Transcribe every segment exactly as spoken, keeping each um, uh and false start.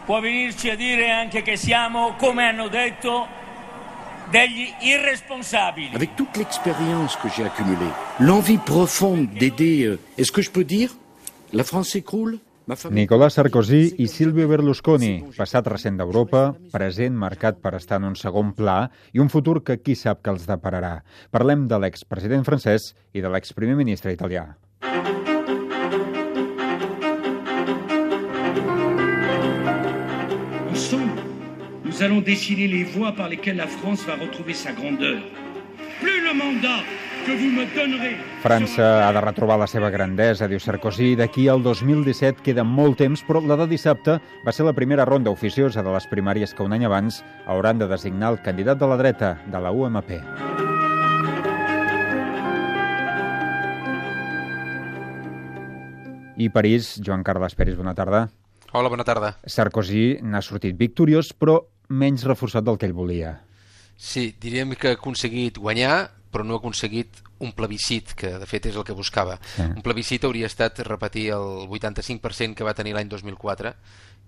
può venirci a dire anche che siamo, come hanno detto, degli irresponsabili. Avec toute l'expérience que j'ai accumulée, l'envie profonde d'aider, euh, est-ce que je peux dire, la France s'écroule? Nicolas Sarkozy i Silvio Berlusconi, passat recent d'Europa, present marcat per estar en un segon pla i un futur que qui sap que els depararà. Parlem de l'expresident francès i de l'exprimer ministre italià. Ensemble, nous allons dessiner les voies par lesquelles la France va retrouver sa grandeur. Plus le mandat que vous me donnerez. França ha de retrobar la seva grandesa, diu Sarkozy. D'aquí al dos mil disset queda molt temps, però la de dissabte va ser la primera ronda oficiosa de les primàries que un any abans hauran de designar el candidat de la dreta, de la U M P. I París, Joan Carles Peris, bona tarda. Hola, bona tarda. Sarkozy n'ha sortit victoriós, però menys reforçat del que ell volia. Sí, diríem que ha aconseguit guanyar, però no ha aconseguit un plebiscit, que de fet és el que buscava. Sí. Un plebiscit hauria estat repetir el vuitanta-cinc per cent que va tenir l'any dos mil quatre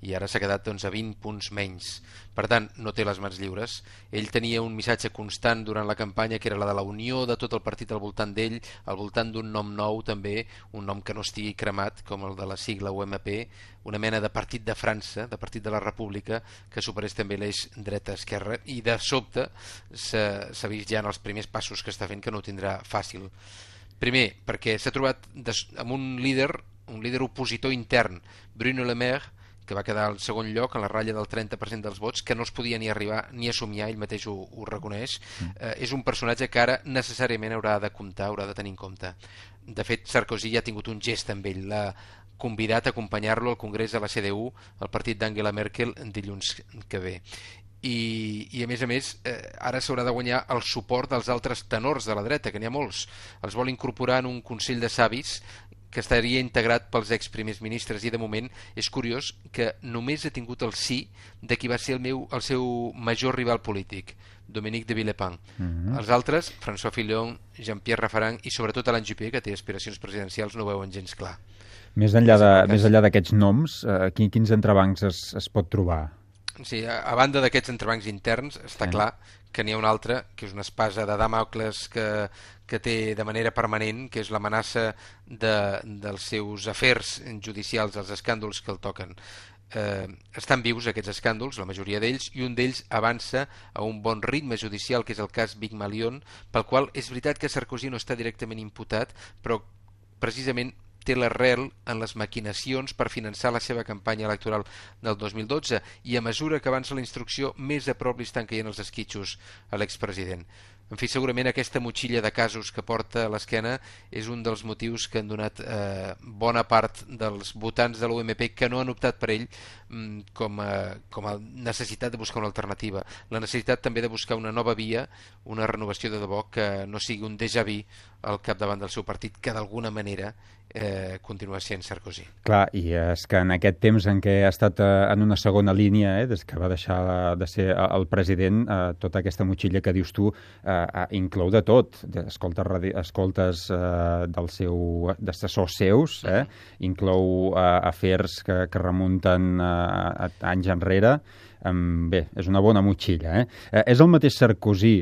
i ara s'ha quedat doncs, a vint punts menys. Per tant, no té les mans lliures. Ell tenia un missatge constant durant la campanya que era la de la unió de tot el partit al voltant d'ell, al voltant d'un nom nou també, un nom que no estigui cremat, com el de la sigla U M P, una mena de partit de França, de partit de la República, que superés també l'eix dreta-esquerra, i de sobte s'ha vist ja en els primers passos que està fent que no ho tindrà fàcil. Primer, perquè s'ha trobat amb un líder, un líder opositor intern, Bruno Le Maire, que va quedar al segon lloc, a la ratlla del trenta per cent dels vots, que no es podia ni arribar ni a somiar, ell mateix ho, ho reconeix. Mm. Eh, és un personatge que ara necessàriament haurà de comptar, haurà de tenir en compte. De fet, Sarkozy ja ha tingut un gest amb ell, l'ha convidat a acompanyar-lo al congrés de la C D U, al partit d'Angela Merkel, dilluns que ve. I, i a més a més, eh, ara s'haurà de guanyar el suport dels altres tenors de la dreta, que n'hi ha molts. Els vol incorporar en un Consell de Savis que estaria integrat pels ex-primers ministres, i de moment és curiós que només ha tingut el sí de qui va ser el, meu, el seu major rival polític, Dominique de Villepin. Mm-hmm. Els altres, François Fillon, Jean-Pierre Raffarin i sobretot Alain Juppé, que té aspiracions presidencials, no ho veuen gens clar. Més enllà de, més enllà d'aquests noms, eh, quins entrebancs es, es pot trobar? Sí, a, a banda d'aquests entrebancs interns, està sí. clar que n'hi ha un altre, que és una espasa de Dàmocles que, que té de manera permanent, que és l'amenaça de, dels seus afers judicials, els escàndols que el toquen. Eh, estan vius aquests escàndols, la majoria d'ells, i un d'ells avança a un bon ritme judicial, que és el cas Big Malion, pel qual és veritat que Sarkozy no està directament imputat, però precisament té l'arrel en les maquinacions per finançar la seva campanya electoral del dos mil dotze, i a mesura que avança la instrucció més a prop li estan caient els esquitxos a l'expresident. En fi, segurament aquesta motxilla de casos que porta a l'esquena és un dels motius que han donat eh, bona part dels votants de l'U M P que no han optat per ell mm, com, a, com a necessitat de buscar una alternativa. La necessitat també de buscar una nova via, una renovació de debò que no sigui un déjà vu al capdavant del seu partit, que d'alguna manera eh, continua sent Sarkozy. Clar, i és que en aquest temps en què ha estat eh, en una segona línia, eh, des que va deixar de ser el president, eh, tota aquesta motxilla que dius tu eh, inclou de tot. Escoltes, escoltes eh, del seu, d'assessors seus, eh, inclou eh, afers que, que remunten eh, a anys enrere. Eh, bé, és una bona motxilla. Eh? Eh, és el mateix Sarkozy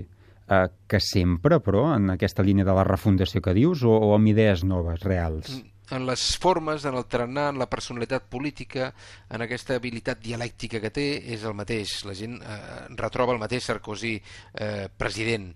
Uh, que sempre, però, en aquesta línia de la refundació que dius, o, o amb idees noves, reals? En les formes, en el tarannà, en la personalitat política, en aquesta habilitat dialèctica que té, és el mateix. La gent eh, retroba el mateix Sarkozy eh, president.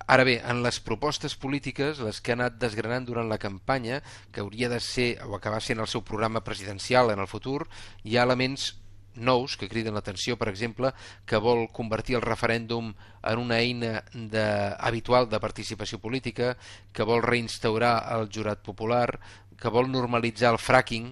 Ara bé, en les propostes polítiques, les que ha anat desgranant durant la campanya, que hauria de ser, o acabar sent el seu programa presidencial en el futur, hi ha elements nous que criden l'atenció, per exemple, que vol convertir el referèndum en una eina de, habitual de participació política, que vol reinstaurar el jurat popular, que vol normalitzar el fracking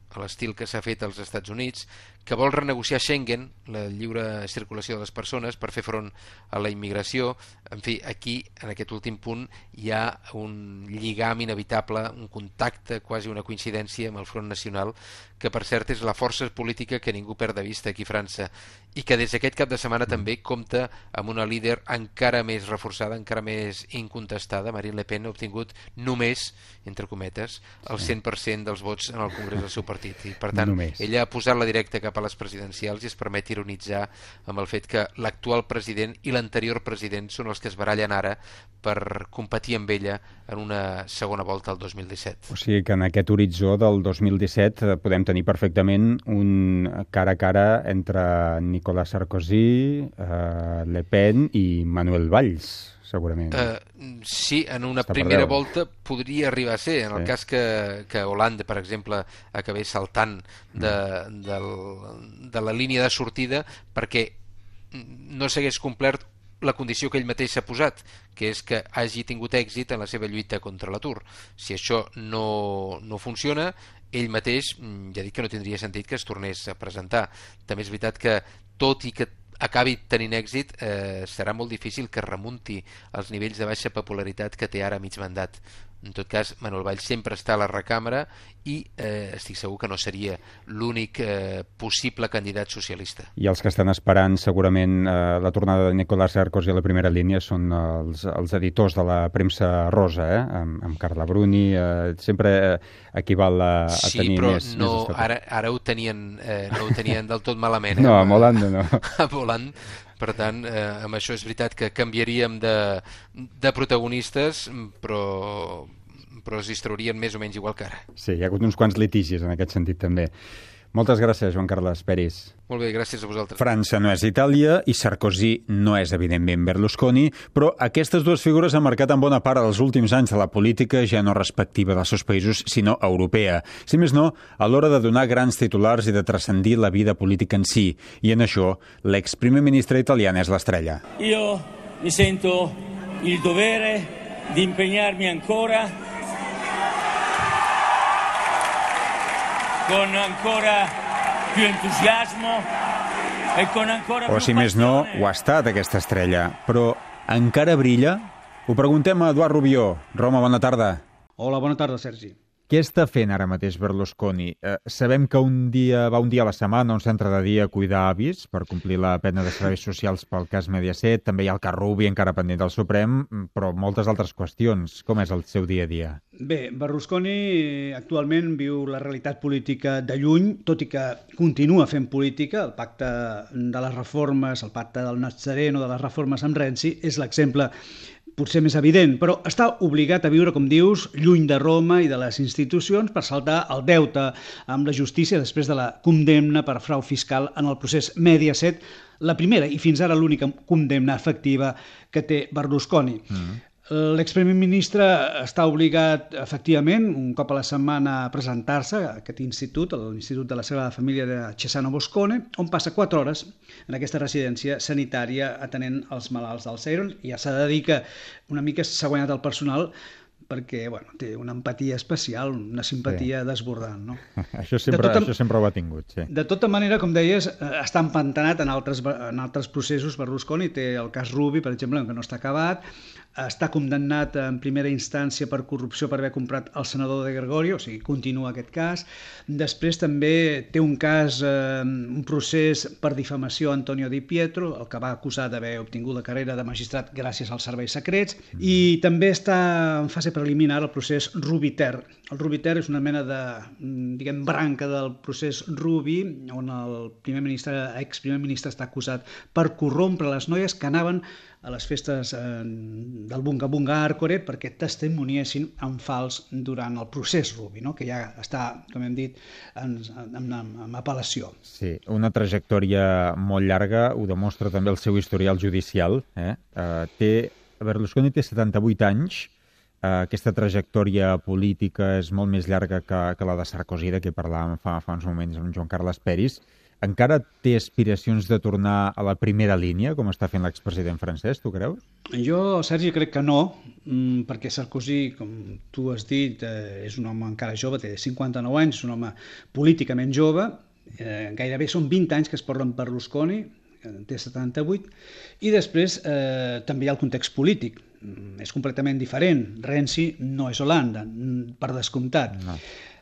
a l'estil que s'ha fet als Estats Units, que vol renegociar Schengen, la lliure circulació de les persones, per fer front a la immigració. En fi, aquí, en aquest últim punt, hi ha un lligam inevitable, un contacte, quasi una coincidència amb el Front Nacional, que per cert és la força política que ningú perd de vista aquí a França, i que des d'aquest cap de setmana també compta amb una líder encara més reforçada, encara més incontestada. Marine Le Pen ha obtingut només, entre cometes, el cent per cent dels vots en el Congrés del seu partit, i per tant, només. Ella ha posat la directa cap cap a les presidencials i es permet ironitzar amb el fet que l'actual president i l'anterior president són els que es barallen ara per competir amb ella en una segona volta al dos mil disset. O sigui que en aquest horitzó del dos mil disset podem tenir perfectament un cara a cara entre Nicolas Sarkozy, eh, Le Pen i Manuel Valls, segurament. Uh, sí, en una Està primera volta podria arribar a ser, en el sí. cas que, que Hollande, per exemple, acabés saltant de, mm. del, de la línia de sortida perquè no s'hagués complert la condició que ell mateix s'ha posat, que és que hagi tingut èxit en la seva lluita contra l'atur. Si això no, no funciona, ell mateix ja dic que no tindria sentit que es tornés a presentar. També és veritat que, tot i que acabi tenint èxit, eh, serà molt difícil que remunti als nivells de baixa popularitat que té ara a mig mandat. En tot cas, Manuel Valls sempre està a la recàmera i eh, estic segur que no seria l'únic eh, possible candidat socialista. I els que estan esperant segurament eh, la tornada de Nicolas Sarkozy a la primera línia són els, els editors de la premsa rosa, eh? amb, amb Carla Bruni, eh, sempre equival a, a sí, tenir més... Sí, però no, més ara, ara ho tenien, eh, no ho tenien del tot malament. Eh? No, amb Hollande no. Amb Hollande. Per tant, eh, amb això és veritat que canviaríem de, de protagonistes, però, però es distraurien més o menys igual que ara. Sí, hi ha hagut uns quants litigis en aquest sentit també. Moltes gràcies, Joan Carles Peris. Molt bé, gràcies a vosaltres. França no és Itàlia i Sarkozy no és, evidentment, Berlusconi, però aquestes dues figures han marcat en bona part els últims anys de la política ja no respectiva dels seus països, sinó europea. Si més no, a l'hora de donar grans titulars i de transcendir la vida política en si. I en això, l'exprimer ministre italià és l'estrella. Io mi sento il dovere di impegnarmi ancora con ancora più entusiasmo e con ancora più O si més no, ho ha estat aquesta estrella. Però encara brilla? Ho preguntem a Eduard Rubió. Roma, bona tarda. Hola, bona tarda, Sergi. Què està fent ara mateix Berlusconi? Eh, sabem que un dia va un dia a la setmana a un centre de dia a cuidar avis per complir la pena de serveis socials pel cas Mediaset. També hi ha el cas Rubi encara pendent del Suprem, però moltes altres qüestions. Com és el seu dia a dia? Bé, Berlusconi actualment viu la realitat política de lluny, tot i que continua fent política. El pacte de les reformes, el pacte del Nazareno, de les reformes amb Renzi, és l'exemple potser més evident, però està obligat a viure, com dius, lluny de Roma i de les institucions per saltar el deute amb la justícia després de la condemna per frau fiscal en el procés Mediaset, la primera i fins ara l'única condemna efectiva que té Berlusconi. Mm. L'exprimer ministre està obligat, efectivament, un cop a la setmana a presentar-se a aquest institut, a l'Institut de la Sagrada Família de Cesano Boscone, on passa quatre hores en aquesta residència sanitària atenent els malalts d'Alzheimer. I ja s'ha de dir que una mica s'ha guanyat el personal perquè bueno, té una empatia especial, una simpatia sí. desbordant. No? Això, sempre, tota, això sempre ho ha tingut, sí. De tota manera, com deies, està empantanat en altres, en altres processos. Berlusconi té el cas Rubi, per exemple, que no està acabat, està condemnat en primera instància per corrupció per haver comprat el senador de Gregorio, o sigui, continua aquest cas. Després també té un cas, eh, un procés per difamació a Antonio Di Pietro, el que va acusar d'haver obtingut la carrera de magistrat gràcies als serveis secrets, mm. i també està en fase preliminar el procés Rubi-Ter. El Rubi-Ter és una mena de, diguem, branca del procés Rubi, on el primer ministre, ex-primer ministre està acusat per corrompre les noies que anaven a les festes eh, del Bunga Bunga Arcore perquè testimoniessin en fals durant el procés Rubi, no? Que ja està, com hem dit, en, en, en, en apel·lació. Sí, una trajectòria molt llarga, ho demostra també el seu historial judicial. Eh? Uh, té, Berlusconi té setanta-vuit anys, uh, aquesta trajectòria política és molt més llarga que, que la de Sarkozy, de què parlàvem fa, fa uns moments amb Joan Carles Peris. Encara té aspiracions de tornar a la primera línia, com està fent l'expresident francès, tu creus? Jo, Sergi, crec que no, perquè Sarkozy, com tu has dit, és un home encara jove, té cinquanta-nou anys, és un home políticament jove, eh, gairebé són vint anys que es porten per Berlusconi, té setanta-vuit, i després eh, també hi ha el context polític. És completament diferent. Renzi no és Holanda, per descomptat. No.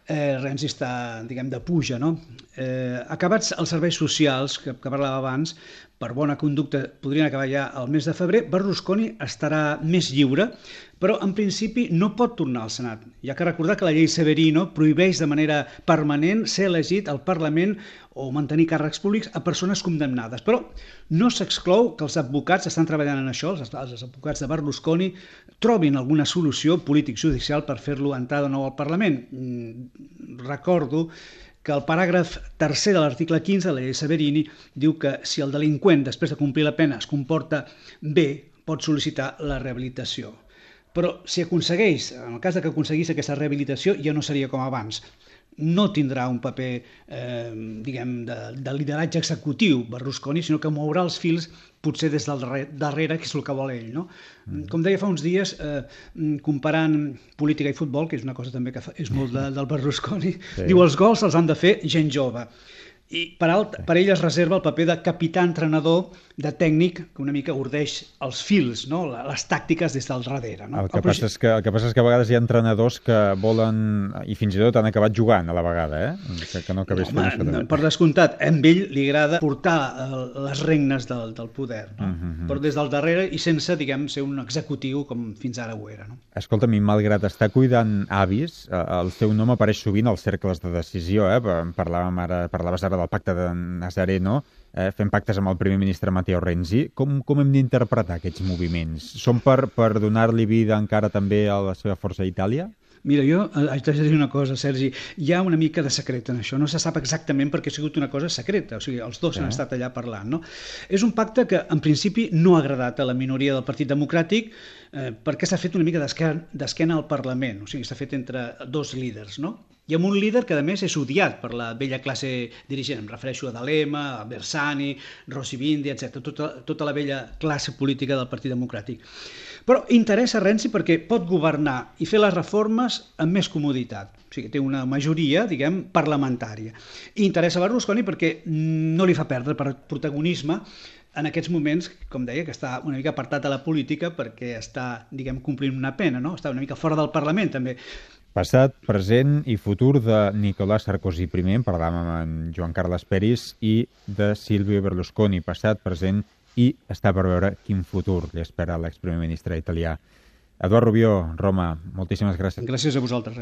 Eh, Renzi està, diguem, de puja, no? Eh, acabats els serveis socials, que, que parlava abans, per bona conducta podrien acabar ja al mes de febrer, Berlusconi estarà més lliure, però en principi no pot tornar al Senat. Hi ha que recordar que la llei Severino prohibeix de manera permanent ser elegit al Parlament o mantenir càrrecs públics a persones condemnades. Però no s'exclou que els advocats estan treballant en això, els, els advocats de Berlusconi trobin alguna solució polític-judicial per fer-lo entrar de nou al Parlament. Recordo que el paràgraf tercer de l'article quinze de la llei Severini diu que si el delinqüent, després de complir la pena, es comporta bé, pot sol·licitar la rehabilitació. Però si aconsegueix, en el cas de que aconseguís aquesta rehabilitació, ja no seria com abans. No tindrà un paper eh, diguem, de, de lideratge executiu Berlusconi, sinó que mourà els fils potser des del darrere, que és el que vol ell. No? Mm. Com deia fa uns dies, eh, comparant política i futbol, que és una cosa també que fa, és molt de, del Berlusconi, sí. Diu els gols els han de fer gent jove. I per, alt, per ell es reserva el paper de capità-entrenador, de tècnic, que una mica urdeix els fils, no? Les tàctiques des del darrere. No? El, que el, passa és que, el que passa és que a vegades hi ha entrenadors que volen, i fins i tot han acabat jugant a la vegada, eh? que, que no acabés no, fent això. Per descomptat, a ell li agrada portar les regnes del, del poder, no? uh -huh. Però des del darrere i sense, diguem, ser un executiu com fins ara ho era. No? Escolta'm, malgrat estar cuidant avis, el seu nom apareix sovint als cercles de decisió, eh? Parlàvem ara, parlaves ara del pacte de Nazareno, eh, fent pactes amb el primer ministre Matteo Renzi. Com, com hem d'interpretar aquests moviments? Són per, per donar-li vida encara també a la seva força a Itàlia? Mira, jo haig de dir una cosa, Sergi, hi ha una mica de secret en això, no se sap exactament perquè ha sigut una cosa secreta, o sigui, els dos sí. han estat allà parlant, no? És un pacte que en principi no ha agradat a la minoria del Partit Democràtic eh, perquè s'ha fet una mica d'esquena al Parlament, o sigui, s'ha fet entre dos líders, no? I amb un líder que, a més, és odiat per la vella classe dirigent. Em refereixo a D'Alema, a Bersani, Rossi Bindi, etcètera. Tota, tota la vella classe política del Partit Democràtic. Però interessa Renzi perquè pot governar i fer les reformes amb més comoditat. O sigui, té una majoria, diguem, parlamentària. I interessa Berlusconi perquè no li fa perdre per protagonisme en aquests moments, com deia, que està una mica apartat de la política perquè està, diguem, complint una pena, no? Està una mica fora del Parlament, també. Passat, present i futur de Nicolas Sarkozy primer, en parlàvem amb Joan Carles Peris, i de Silvio Berlusconi, passat, present i està per veure quin futur li espera l'exprimer ministre italià. Eduard Rubió, Roma, moltíssimes gràcies. Gràcies a vosaltres.